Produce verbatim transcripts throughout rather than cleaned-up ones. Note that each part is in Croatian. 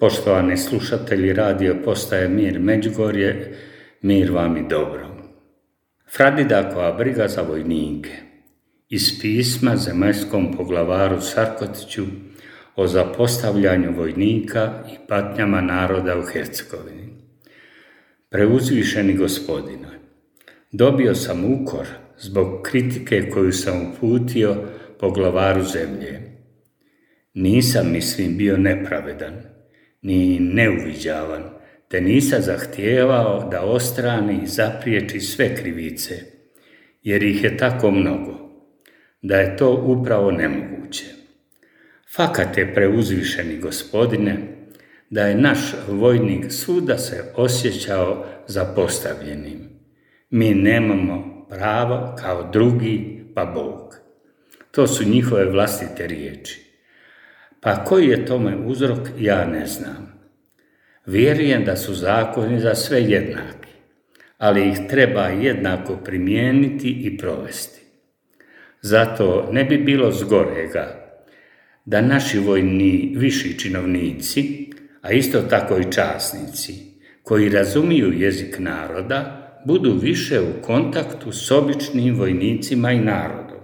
Poštovani slušatelji radio postaje Mir Međugorje, mir vam i dobro. Fradidakova briga za vojnike. Iz pisma zemaljskom poglavaru Sarkotiću o zapostavljanju vojnika i patnjama naroda u Hercegovini. Preuzvišeni Gospodine, dobio sam ukor zbog kritike koju sam uputio poglavaru zemlje. Nisam, mislim, bio nepravedan, ni neuviđavan, te nisam zahtijevao da ostrani i zapriječi sve krivice, jer ih je tako mnogo, da je to upravo nemoguće. Fakat je, preuzvišeni Gospodine, da je naš vojnik svuda se osjećao zapostavljenim. Mi nemamo pravo kao drugi, pa Bog. To su njihove vlastite riječi. Pa koji je tome uzrok, ja ne znam. Vjerujem da su zakoni za sve jednaki, ali ih treba jednako primijeniti i provesti. Zato ne bi bilo zgorega da naši vojni viši činovnici, a isto tako i časnici, koji razumiju jezik naroda, budu više u kontaktu s običnim vojnicima i narodom.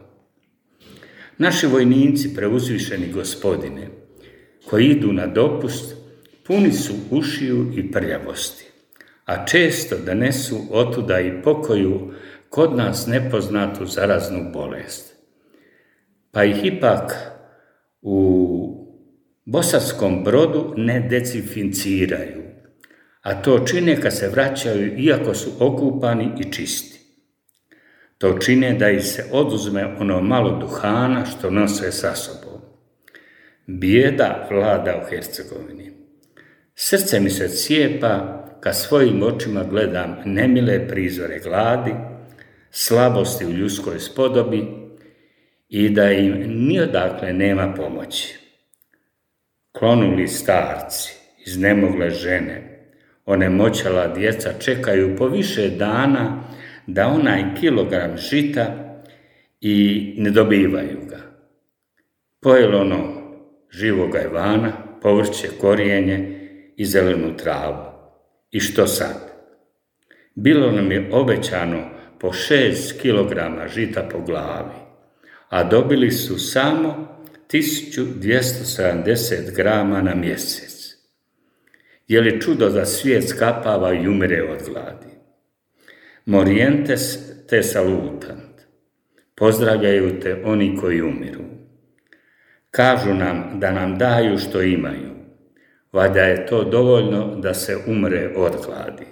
Naši vojnici, preuzvišeni Gospodine, koji idu na dopust, puni su ušiju i prljavosti, a često donesu otuda i pokoju kod nas nepoznatu zaraznu bolest. Pa ih ipak u Bosanskom Brodu ne dezinficiraju, a to čine kad se vraćaju iako su okupani i čisti. To čine da ih se oduzme ono malo duhana što nose sa sobom. Bijeda vlada u Hercegovini. Srce mi se cijepa kad svojim očima gledam nemile prizore gladi, slabosti u ljudskoj spodobi i da im niodakle nema pomoći. Klonuli starci, iznemogle žene, onemoćala djeca čekaju po više dana da onaj kilogram žita i ne dobivaju ga. Pojelo ono živoga Ivana, povrće, korijenje i zelenu travu. I što sad? Bilo nam je obećano po šest kilograma žita po glavi, a dobili su samo tisuću dvjesto sedamdeset grama na mjesec. Je li čudo da svijet skapava i umire od gladi? Morientes te salutant. Pozdravljaju te oni koji umiru. Kažu nam da nam daju što imaju. Valjda je to dovoljno da se umre od gladi.